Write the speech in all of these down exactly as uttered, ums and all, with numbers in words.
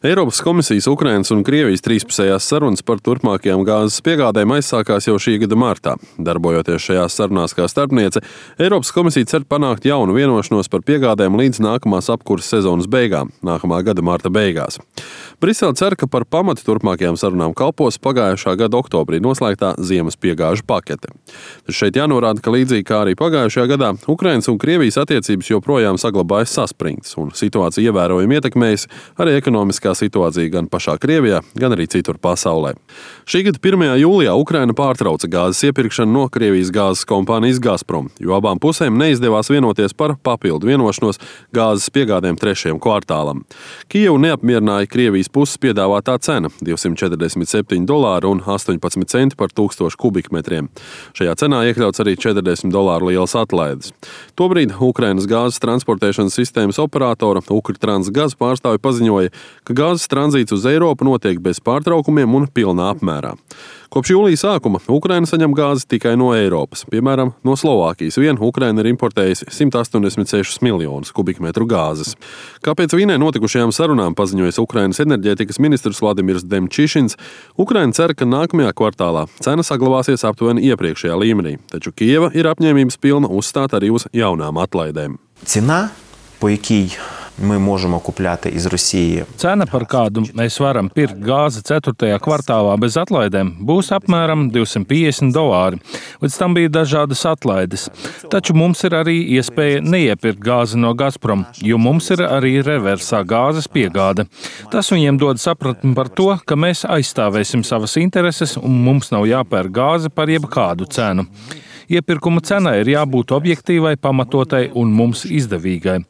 Eiropas komisijas, Ukrainas un Krievijas trīspusējās sarunas par turpmākajām gāzes piegādēm aizsākās jau šī gada martā. Darbojoties šajās sarunās kā starpniece, Eiropas komisija cer panākt jaunu vienošanos par piegādēm līdz nākamās apkurses sezonas beigām, nākamā gada marta beigās. Brisele cer, ka par pamatu turpmākajām sarunām kalpos pagājušā gada oktobrī noslēgtā ziemas piegāžu pakete. Taču šeit jānorāda, ka līdzīgi kā arī pagājušajā gadā, Ukrainas un Krievijas attiecības joprojām saglabājas saspringtas un situācija ievērojami ietekmējas arī ekonomiskā situācija gan pašā Krievijā, gan arī citur pasaulē. Šī gada pirmajā jūlijā Ukraina pārtrauca gāzes iepirkšanu no Krievijas gāzes kompānijas Gazprom, jo abām pusēm neizdevās vienoties par papildu vienošanos gāzes piegādēm trešajam kvartālam. Kijevu neapmierināja Krievijas puses piedāvātā cena – divsimt četrdesmit septiņi dolāri un astoņpadsmit centi par tūkstošu kubikmetriem. Šajā cenā iekļauts arī četrdesmit dolāru lielas atlaides. Tobrīd Ukrainas gāzes transportēšanas sistēmas operatora Ukrtransgaz pārstāvi paziņoja, ka gāzes tranzīts uz Eiropu notiek bez pārtraukumiem un pilnā apmērā. Kopš jūlija sākuma Ukraina saņem gāzi tikai no Eiropas. Piemēram, no Slovākijas vien Ukraina ir importējusi simt astoņdesmit sešus miljonus kubikmetru gāzes. Kāpēc Vīnē notikušajām sarunām paziņojas Ukrainas enerģētikas ministrs Vladimirs Demčišins, Ukraina cer, ka nākamajā kvartālā cena saglabāsies aptuveni iepriekšējā līmenī, taču Kijeva ir apņēmības pilna uzstāt arī uz jaunām atlaidēm. Ціна, по якій ми можемо купляти із Росії. Cena, par kādu mēs varam pirkt gāzi ceturtajā kvartālā bez atlaidēm, būs apmēram divsimt piecdesmit dolāri. Līdz tam bija dažādas atlaides. Taču mums ir arī iespēja neiepirkt gāzi no Gazprom, jo mums ir arī reversā gāzes piegāde. Tas viņiem dod sapratni par to, ka mēs aizstāvēsim savas intereses un mums nav jāpērk gāze par jebkādu cenu. Iepirkuma cenai ir jābūt objektīvai, pamatotai un mums izdevīgai.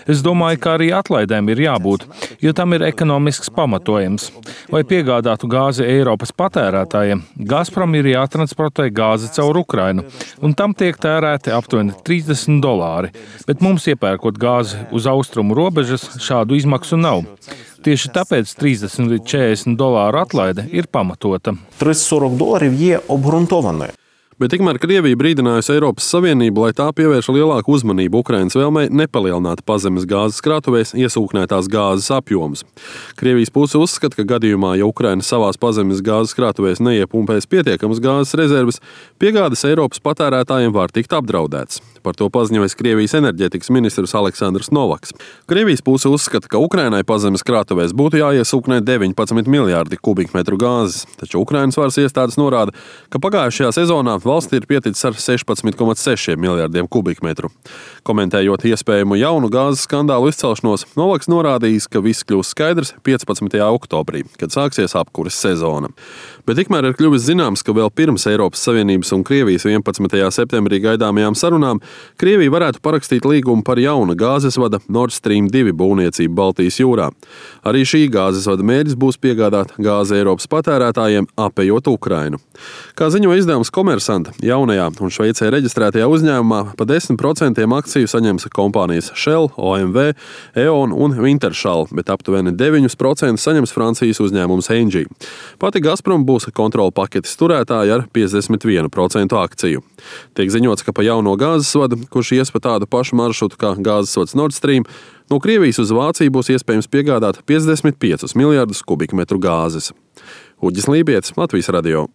Es domāju, ka arī atlaidēm ir jābūt, jo tam ir ekonomisks pamatojums. Lai piegādātu gāzi Eiropas patērētājiem, Gazprom ir jātransportē gāze caur Ukrainu, un tam tiek tērēti aptuveni trīsdesmit dolāri, bet mums iepērkot gāzi uz austrumu robežas šādu izmaksu nav. Tieši tāpēc trīsdesmit līdz četrdesmit dolāru atlaide ir pamatota. тридцять сорок доларів є обґрунтованою. Bet tikmēr Krievija brīdinājusi Eiropas Savienību, lai tā pievērš lielāku uzmanību Ukrainas vēlmei nepalielināt pazemes gāzes krātuvēs iesūknētās gāzes apjomus. Krievijas puse uzskata, ka gadījumā, ja Ukraina savās pazemes gāzes krātuvēs neiepumpēs pietiekamas gāzes rezerves, piegādes Eiropas patērētājiem var tikt apdraudēts. Par to paziņojas Krievijas enerģētikas ministrs Aleksandrs Novaks. Krievijas puse uzskata, ka Ukrainai pazemes krātuvēs būtu jāiesūknē deviņpadsmit miljārdi kubikmetru gāzes, taču Ukrainas varas iestādes norāda, ka pagājušajā sezonā valstī ir pieticis ar sešpadsmit komats seši miljārdiem kubikmetru. Komentējot iespējamu jaunu gāzes skandālu izcelšanos, Novaks norādījis, ka viss kļūs skaidrs piecpadsmitajā oktobrī, kad sāksies apkures sezona. Bet tikmēr ir kļuvis zināms, ka vēl pirms Eiropas Savienības un Krievijas vienpadsmitajā septembrī gaidāmajām sarunām Krievija varētu parakstīt līgumu par jauna gāzes vada Nord Stream divi būvniecību Baltijas jūrā. Arī šī gāzes vada mērķis būs piegādāt gāzi Eiropas patērētājiem, apējot Ukrainu. Kā ziņo izdevums Komersant, jaunajā un Šveicē reģistrētajā uzņēmumā pa desmit procentiem akciju saņems kompānijas Shell, O M V, E.ON un Wintershall, bet aptuveni deviņus procentus saņems Francijas uzņēmums Engie. Pati Gazprom būs kontrola paketes turētāja ar piecdesmit vienu procentu akciju. Tiek ziņots, ka pa jauno gāzes vadu, kurš ies pa tādu pašu maršrutu kā gāzes vads Nord Stream, no Krievijas uz Vāciju būs iespējams piegādāt piecdesmit piecus miljardus kubikmetru gāzes. Uģis Lībietis, Latvijas radio.